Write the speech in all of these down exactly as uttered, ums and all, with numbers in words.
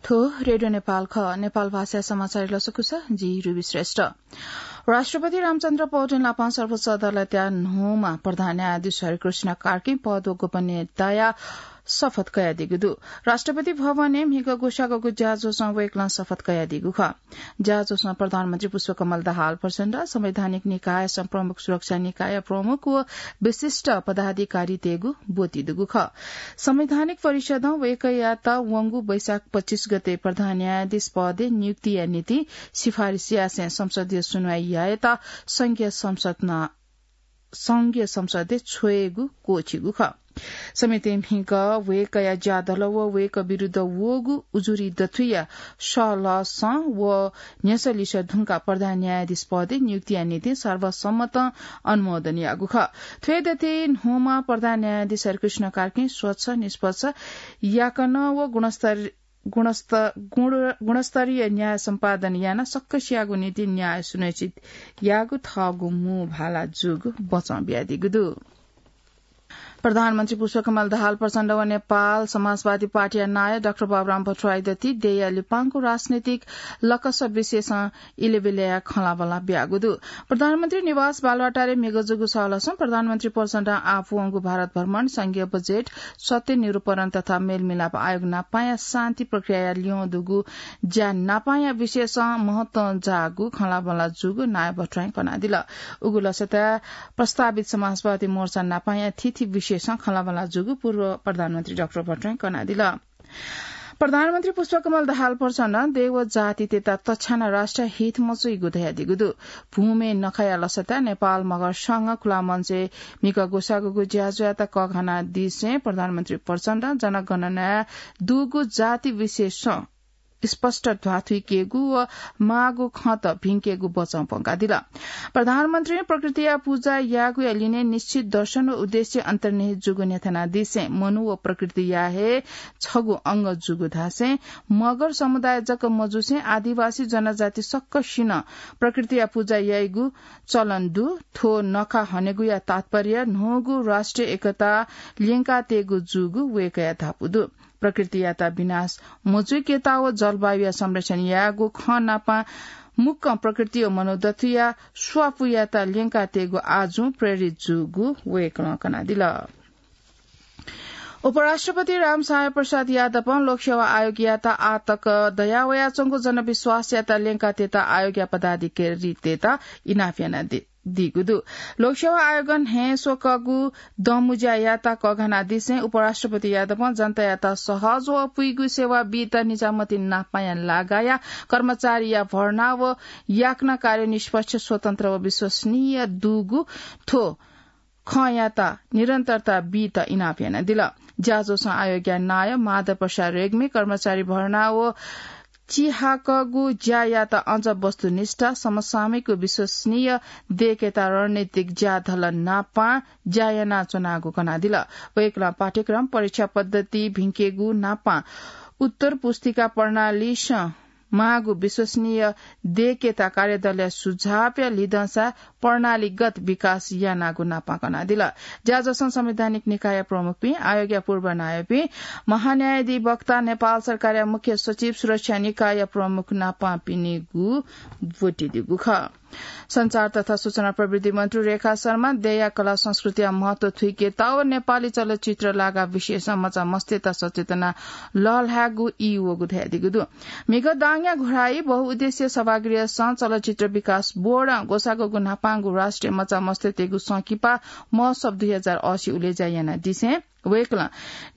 थ्व रेडियो नेपाल खः। नेपाल भाषा समाचार लसकुस, जि रुबी श्रेष्ठ। राष्ट्रपति रामचन्द्र पौडेल नापं सर्वोच्च अदालतया न्हूम्ह प्रधान न्यायाधीश हरिकृष्ण कार्की पद व गोपनीयताया शपथ कयादीगु दु। राष्ट्रपति भवनय् म्हिगः ग्वसाःगु ज्याझ्वलं वय्कलं शपथ कयादीगु खः। ज्याझ्वलं प्रधानमन्त्री पुष्पकमल दाहाल प्रचण्ड, संवैधानिक निकायया प्रमुख, सुरक्षा निकायया प्रमुख व विशिष्ट पदाधिकारीतय्गु ब्वति दुगु खः। संवैधानिक परिषदं वय्कःयात वंगु वैशाख पच्चीस गते प्रधान न्यायाधीश पदय् नियुक्तिया निंतिं सिफारिस यासें संसदीय सुनवाई यायेत संघीय संसद नं संघीय संसदय् छ्वयेगु क्वःछिगु खः। समेत म्हिगः वय्कःया ज्याधल व वय्कः विरुद्ध वःगु उजुरी दथुइया सःलसं व न्ह्यसः लिसः धुंकाः प्रधान न्यायाधीश पदय् नियुक्तिया निंतिं सर्वसम्मतं अनुमोदन याःगु खः। थ्व हे दथुइ न्हूम्ह प्रधान न्यायाधीश हरिकृष्ण कार्कीं स्वच्छ, निष्पक्ष, याकनं व गुणस्तर गुणस्त-, गुण-, गुणस्तरीय न्याय सम्पादन यानाः सकसियागु निंतिं न्याय सुनिश्चित यायेगु थःगु मू भाला जूगु बचं बियादीगु दु। प्रधानमन्त्री पुष्पकमल दाहाल प्रचण्ड व नेपाल समाजवादी पार्टीया नायः डाक्टर बाबुराम भट्टराई दथुइ देय्या लिपांगु राजनैतिक लकस विषयसं इलय् ब्यलय्या खँल्हाबल्हा बियागु दु। प्रधानमन्त्री निवास बालुवाटारय् म्हिगः जूगु सःलसं प्रधानमन्त्री प्रचण्डं आः वंगु भारत भ्रमण, संघीय बजेट, सत्य निरूपण तथा मेलमिलाप आयोग नापांया शान्ति प्रक्रियाया ल्यं दुगु ज्या नापांया विषयसं महत्वं जाःगु खँल्हाबल्हा जूगु नायः भट्टराईं कनादिल। उगु लसताय् प्रस्तावित समाजवादी मोर्चा नापांया थीथी विषयसं खँल्हाबल्हा जूगु पूर्व प्रधानमन्त्री डाक्टर भट्टराईं कनादिल। प्रधानमन्त्री पुष्पकमल दाहाल प्रचण्डं देय् व जातितय्त तछ्यानाः राष्ट्रिय हित मच्वइगु धयादीगु दु। भूम्यय् नखःया लसताय् नेपाल मगर संघ खुला मञ्चय् म्हिगः ग्वसाःगु ज्याझ्वःयात कःघानादिसें प्रधानमन्त्री प्रचण्डं जनगणनाय् दुगु जाति विषयसं स्पष्ट ध्वाथुइकेगु व माःगु खँत भिंकेगु बचं प्वंकादिल। प्रधानमन्त्रीं प्रकृतिया पुजा यायेगुया लिने निश्चित दर्शन व उद्देश्य अन्तर्निहित जूगु न्ह्यथनादिसें मनू व प्रकृतिया हे छगू अंग जूगु धासें मगर समुदाय जक मजुसें आदिवासी जनजाति सकसिनं प्रकृतिया पुजा याइगु चलन दु। थ्व नखः हनेगुया तात्पर्य न्हूगु राष्ट्रिय एकता ल्यंकातयेगु जूगु वय्कःया धापू दु। प्रकृतियात विनाश मजुइकेत व जलवायुया संरक्षण यायेगु खँ नापं मुक्कं प्रकृति व मनू दथुइया स्वापूयात ल्यंकातयेगु आजुं प्रेरित जूगु वय्कलं कनादिल। उपराष्ट्रपति रामसहाय प्रसाद यादवं लोकसेवा आयोगयात आः तक दयावयाच्वंगु जनविश्वासयात ल्यंकातयेत आयोगया पदाधिकारीतय्त इनाप यानादीगु दु। लोकसेवा आयोगं न्हय्स्वकःगु दँमुँज्यायात कःघानादिसें उपराष्ट्रपति यादवं जनतायात सहज व पुइगु सेवा बीत निजामती नापांया लागाया कर्मचारीया भर्ना व याकनं कार्य निष्पक्ष, स्वतन्त्र व विश्वसनीय दुगु थ्व खँयात निरन्तरता बीत इनाप यानादिल। ज्याझ्वलं आयोगया नायः माधव प्रसाद रेग्मी कर्मचारी भर्ना व चिहाकःगु ज्यायात अझ वस्तुनिष्ठ, समसामयिक व विश्वसनीय दयेकेत रणनीतिक ज्याधल नापां ज्या यानाच्वनागु कनादिल। वय्कलं पाठ्यक्रम, परीक्षा पद्धति भिंकेगु नापां उत्तर पुस्तिका प्रणालीसं माःगु विश्वसनीय दयेकेत कार्यदलया सुझावया लिधंसा प्रणालीगत विकास यानागु नापां कनादिल। ज्याझ्वलं संवैधानिक निकायया प्रमुखपिं, आयोगया पूर्व नायःपिं, महान्यायाधिवक्ता, नेपाल सरकारया मुख्य सचिव, सुरक्षा निकायया प्रमुख नापांपिनिगु ब्वति दुगु खः। सञ्चार तथा सूचना प्रविधि मन्त्री रेखा शर्मां देय्या कला संस्कृतिया महत्व थुइकेत व नेपाली चलचित्र लागा विषयसं मचा मस्तय्त सचेतना लःल्हायेगु ई वःगु धयादीगु दु। म्हिगः दाङया घोडाइ बहुउद्देश्य सभागृहसं चलचित्र विकास बोर्डं ग्वसाःगु न्हापांगु राष्ट्रिय मचा मस्तय्तय्गु संकिपा महोत्सव दुई हजार असी उलेज्या यानादिसें वय्कलं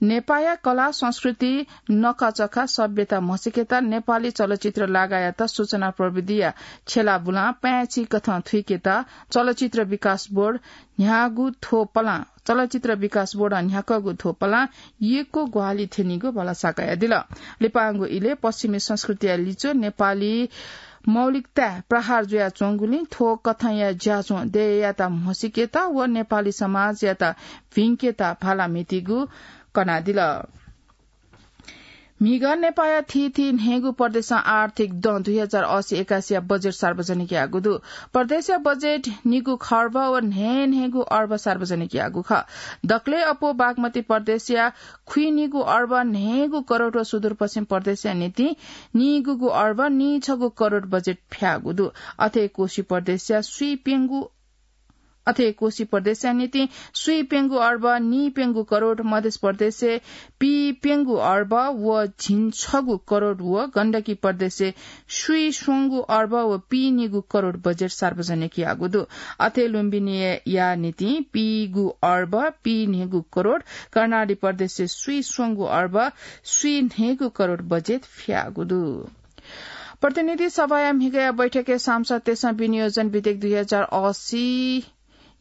नेपाःया कला, संस्कृति, नखःचखः, सभ्यता म्हसीकेत नेपाली चलचित्र लागायात सूचना प्रविधिया छेँलाबुलां पाय्‌चिकथं थुइकेत चलचित्र विकास बोर्ड न्ह्याःगु थ्व पलां, चलचित्र विकास बोर्डं न्ह्याकःगु थ्व पलां यक्व ग्वाहालि थ्यनीगु भलसा कयादिल। लिपांगु इलय् पश्चिमी संस्कृतिया लिच्वः नेपाली मौलिकताय् प्रहार जुयाच्वंगुलिं थ्व कथंया ज्याझ्वः देय्‌यात म्हसीकेत व नेपाली समाजयात भिंकेत भाला म्हितीगु कनादिल। म्हिगः नेपाःया थीथी न्हय्गू प्रदेशं आर्थिक दँ दुई हजार असी एकासीया बजेट सार्वजनिक याःगु दु। प्रदेशया बजेट निगू खर्ब व न्हय्न्हय्गू अर्ब सार्वजनिक याःगु खः। दकलय् अप्वः बागमती प्रदेशया खुइनिगू अर्ब न्हय्गू करोड व सुदूरपश्चिम प्रदेशया निंतिं निगूगू अर्ब निछगू करोड बजेट फ्याःगु दु। अथे कोशी प्रदेशया स्वीप्यंगू अथे कोशी प्रदेशया निंतिं स्वीप्यंगू अर्ब नीप्यंगू करोड, मध्य प्रदेशय् पीप्यंगू अर्ब व झिंछगू करोड व गण्डकी प्रदेशय् स्वीस्वंगू अर्ब व पीनिगू करोड बजेट सार्वजनिक याःगु दु। अथे लुम्बिनीया निंतिं पीगू अर्ब पीन्हय्गू करोड, कर्णाली प्रदेशय् स्वीस्वंगू अर्ब स्वीन्हय्गू करोड बजेट फ्याःगु दु। प्रतिनिधि सभाया म्हिगःया बैठकय् सांसदतय्सं विनियोजन विधेयक दुई हजार असी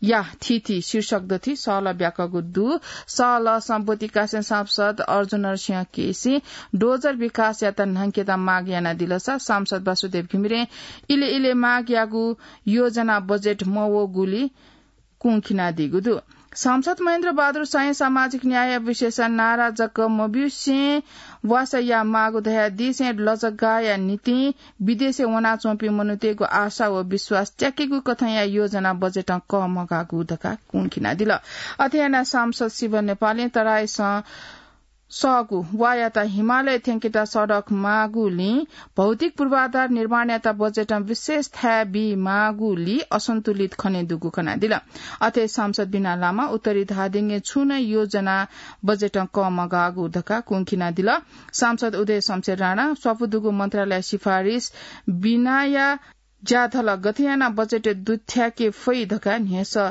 या थीथी शीर्षक दथुइ सहलह ब्याकःगु दु। सहलहसं ब्वति कासें सांसद अर्जुन नरसिंह केसीं डोजर विकासयात न्हंकेत माग यानादिलसा सांसद वासुदेव घिमिरें इले इले माग याःगु योजना बजेट मवःगुली कुंखिनादीगु दु। सांसद महेन्द्र बहादुर साईं सामाजिक न्याय विषयया नारा जक मब्यूसें वासः यायेमाःगु धयादीसें लजगाःया निंतिं विदेशय् वनाच्वंपिं मनूतय्गु आशा व विश्वास त्याकेगु कथंया योजना बजेटं कःमगाःगु धकाः कुंखिनादिल। अथे यानाः सांसद शिव नेपालीं तराईसं सःगु वायात हिमालय थ्यंकेत सडक माःगुलिं भौतिक पूर्वाधार निर्माणयात बजेटं विशेष थाय् बीमाःगुली असन्तुलित खनेदुगु कनादिल। अथे सांसद बिना लामा उत्तरी धादिङय् छुं नं योजना बजेटं कःमगाःगु धकाः कुंखिनादिल। सांसद उदय शमशेर राणा स्वापू दुगु मन्त्रालय सिफारिस बिनाया ज्याधल गथे यानाः बजेट दुथ्याके फइ धकाः न्ह्यसः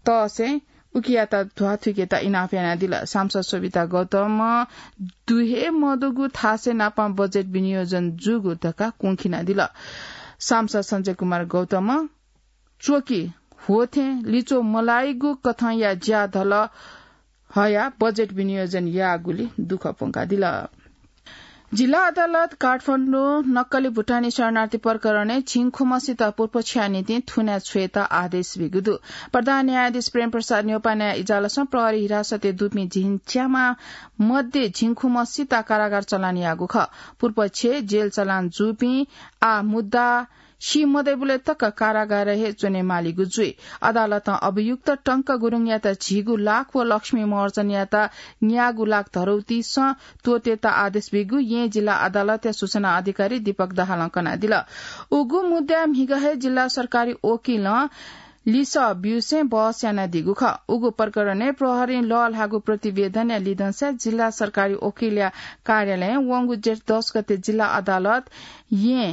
तःसें उकियात ध्वाथुइकेत इनाप यानादिल। सांसद शोभिता गौतमं दु हे मदुगु थासय् नापं बजेट विनियोजन जूगु धकाः कुंखिनादिल। सांसद सञ्जय कुमार गौतमं च्वकि ह्वःथें लिच्वः मलाइगु कथंया ज्याधल हयाः बजेट विनियोजन याःगुली दुःख प्वंकादिल। जिल्ला अदालत काठमाडौं नक्कली भुटानी शरणार्थी प्रकरणय् झिंखुम्हसित पुर्पछ्या निंतिं थुनाय् छ्वयेत आदेश बीगु दु। प्रधान न्यायाधीश प्रेम प्रसाद न्यौपानाया इजालसं प्रहरी हिरासतय् दुपिं झिंच्यामा मध्ये झिंखुम्हसित कारागार चलान याःगु खः। पुर्पछ्यय् जेल चलान जूपिं आः मुद्दा सी मदइबलय् तक कारागारय् हे च्वनेमालीगु जुइ। अदालतं अभियुक्त टंक गुरुङयात झिगू लाख व लक्ष्मी महर्जनयात न्यागू लाख धरौतीसं त्वःतेत आदेश बीगु येँ जिल्ला अदालतया सूचना अधिकारी दीपक दाहालं कनादिल। उगु मुद्दाय् म्हिगः हे जिल्ला सरकारी वकिलं लिसः ब्यूसें बहस यानादीगु खः। उगु प्रकरणय् प्रहरीं लःल्हाःगु प्रतिवेदनया लिधंसा जिल्ला सरकारी वकिलया कार्यालयं वंगु जेठ दस गते जिल्ला अदालत येँ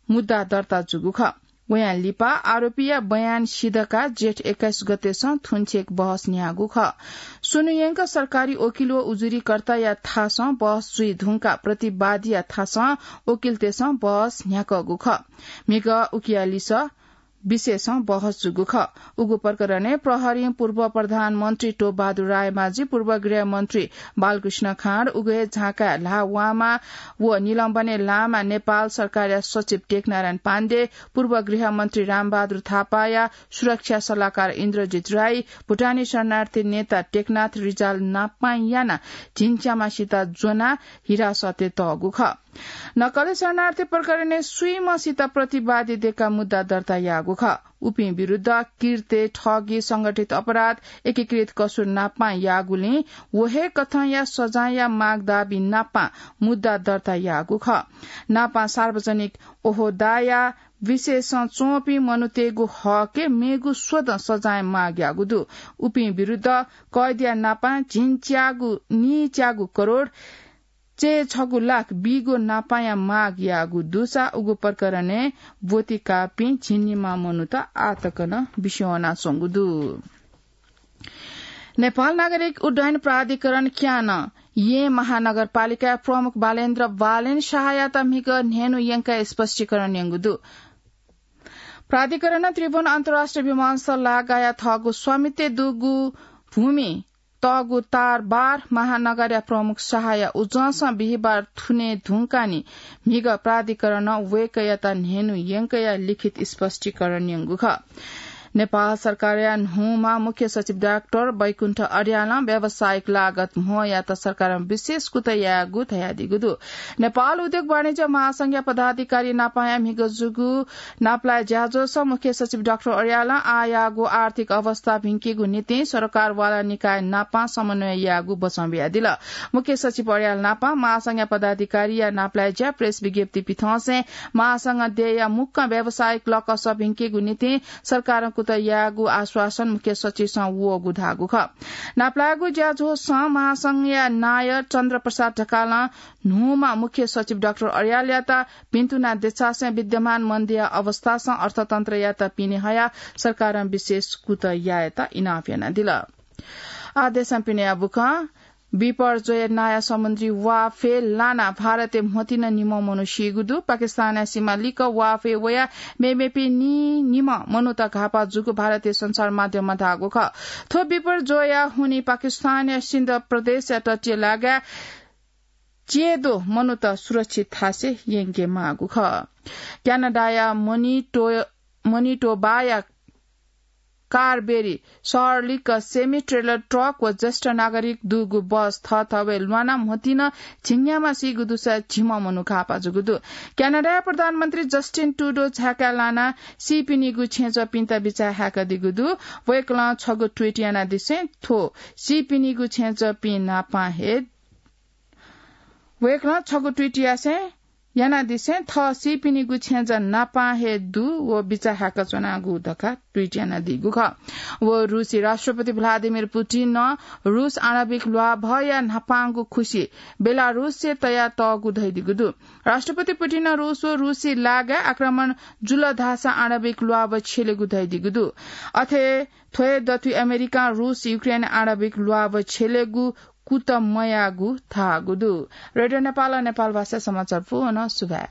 मुद्दा दर्ता जूगु खः। वयां लिपा आरोपीया बयान सिधकाः जेठ एक्काइस गतेसं थुंछेक बहस न्ह्याःगु खः। स्वन्हु यंक सरकारी वकिल व उजुरीकर्ताया थासं बहस जुइ धुंकाः प्रतिवादीया थासं वकिलतय्सं बहस न्ह्याकःगु खः। म्हिगः उकिया लिसः विषयसं बहस जूगु खः। उगु प्रकरणय् प्रहरीं पूर्व प्रधानमन्त्री टोपबहादुर रायमाझी, पूर्व गृहमन्त्री बालकृष्ण खाँड, उगु हे झाँकाय् ल्हाः वाःमाः व निलम्बनय् लाःमाः नेपाल सरकारया सचिव टेकनारायण पाण्डे, पूर्व गृहमन्त्री रामबहादुर थापाया सुरक्षा सल्लाहकार इन्द्रजित राई, भुटानी शरणार्थी नेता टेकनाथ रिजाल नापं यानाः झिंच्यामासित ज्वनाः हिरासतय् तःगु खः। नक्कली शरणार्थी प्रकरणय् स्वीम्हसित प्रतिवादी दय्काः मुद्दा दर्ता याःगु खः। उपिं विरुद्ध किर्ते, ठगी, संगठित अपराध, एकीकृत कसुर नापं याःगुलिं व हे कथंया सजाँयया माग दाबी नापं मुद्दा दर्ता याःगु खः। नापं सार्वजनिक ओहदाया विशेषं च्वंपिं मनूतय्गु हकय् मेगु स्वदँ सजाँय माग याःगु दु। उपिं विरुद्ध कैदया नापं झिंच्यागु, नीच्यागु करोड चय्छगू लाख बीगु नापंया माग याःगु दुसा उगु प्रकरणय् ब्वति काःपिं झिंनिम्ह मनूत आःतक नं बिस्युं वनाच्वंगु दु। नेपाल नागरिक उड्डयन प्राधिकरण क्यानं येँ महानगरपालिकाया प्रमुख बालेन्द्र बालेन शाहयात म्हिगः न्हय्न्हु यंकाः स्पष्टीकरण यंगु दु। प्राधिकरणं त्रिभुवन अन्तर्राष्ट्रिय विमानस्थल लागाया थःगु स्वामित्वय् दुगु भूमि तःगु तारबार महानगरया प्रमुख शाहया उजंसं बिहिबार थुने धुंकाः नि म्हिगः प्राधिकरणं वय्कःयात न्हय्न्हु यंकया लिखित स्पष्टीकरण यंगु खः। नेपाल सरकारया न्हूम्ह मुख्य सचिव डाक्टर बैकुण्ठ अर्यालं व्यावसायिक लागत म्होयात सरकारं विशेष कुतः यायेगु धयादीगु दु। नेपाल उद्योग वाणिज्य महासंघया पदाधिकारी नापांया म्हिगः जूगु नापलाये ज्याझ्वलय् मुख्य सचिव डाक्टर अर्यालं आःयाःगु आर्थिक अवस्था भिंकेगु निंतिं सरकार वाला निकाय नापां समन्वय यायेगु बचं बियादिल। मुख्य सचिव अर्याल नापां महासंघया पदाधिकारीया नापलाये ज्या प्रेस विज्ञप्ति पिथंसें महासंघ देय्‌या मुक्कं व्यावसायिक लकस भिंकेगु निंतिं सरकारं कुतः यायेगु आश्वासन मुख्य सचिवसं वःगु धाःगु खः। नापलायेगु ज्याझ्वलय् महासंघया नायः चन्द्र प्रसाद ढकालं न्हूम्ह मुख्य सचिव डाक्टर अर्यालयात भिंतुना देछासें विद्यमान मन्दया अवस्थासं अर्थतन्त्रयात पिने हयाः सरकारं विशेष कुतः यायेत इनाप यानादिल। आः देशं पिनेया बुखँ। बिपर्जोय नाया समुद्री वाफय् लानाः भारतय् म्होतिन निम्ह मनू सीगु दु। पाकिस्तानया सीमा लिक्क वाफय् वयाः मेमेपिं नीनिम्ह मनूत घाःपाः जूगु भारतीय सञ्चार माध्यमं धाःगु खः। थ्व बिपर्जोयया हुनिं पाकिस्तानया सिन्ध प्रदेशया तटीय लागाय् च्येद्वः मनूत सुरक्षित थासय् यंके माःगु खः। क्यानाडाया मनिटो-, मनिटोबाया कार्बेरी शहर लिक्क semi trailer truck व ज्येष्ठ नागरिक दुगु बस थःथवय् ल्वानाः म्होतिन झिंन्याम्ह सीगु दुसा झिम्ह मनू घाःपाः जूगु दु। क्यानाडाया प्रधानमन्त्री जस्टिन ट्रुडो झाय्‌काः लानाः सीपिनिगु छेँजःपिन्त बिचाः हाय्‌कादीगु दु। वय्‌कलं छगू ट्वीट यानादिसें थ्व सीपिनिगु छेँजःपिं नापां हे वय्‌कलं छगू ट्वीट यासें यानादिसें थः सीपिनिगु छेँजः नापां हे दु व बिचाः हाय्‌का च्वनागु धकाः ट्वीट यानादीगु खः। व रूसी राष्ट्रपति भ्लादिमिर पुटिनं रूस आणविक ल्वाभया न्हापांगु खुसि बेलारूसय् तयातःगु धयादीगु दु। राष्ट्रपति पुटिनं रूस व रूसी लागाय् आक्रमण जुल धाःसा आणविक ल्वाभ छ्यलेगु धयादीगु दु। अथे थ्व हे दथुइ अमेरिकां रूस युक्रेन आणविक ल्वाभ छ्यलेगु कुतः मयाःगु धाःगु दु। रेडियो नेपालं नेपाल भाषा समाचार पूवं सुभाय्।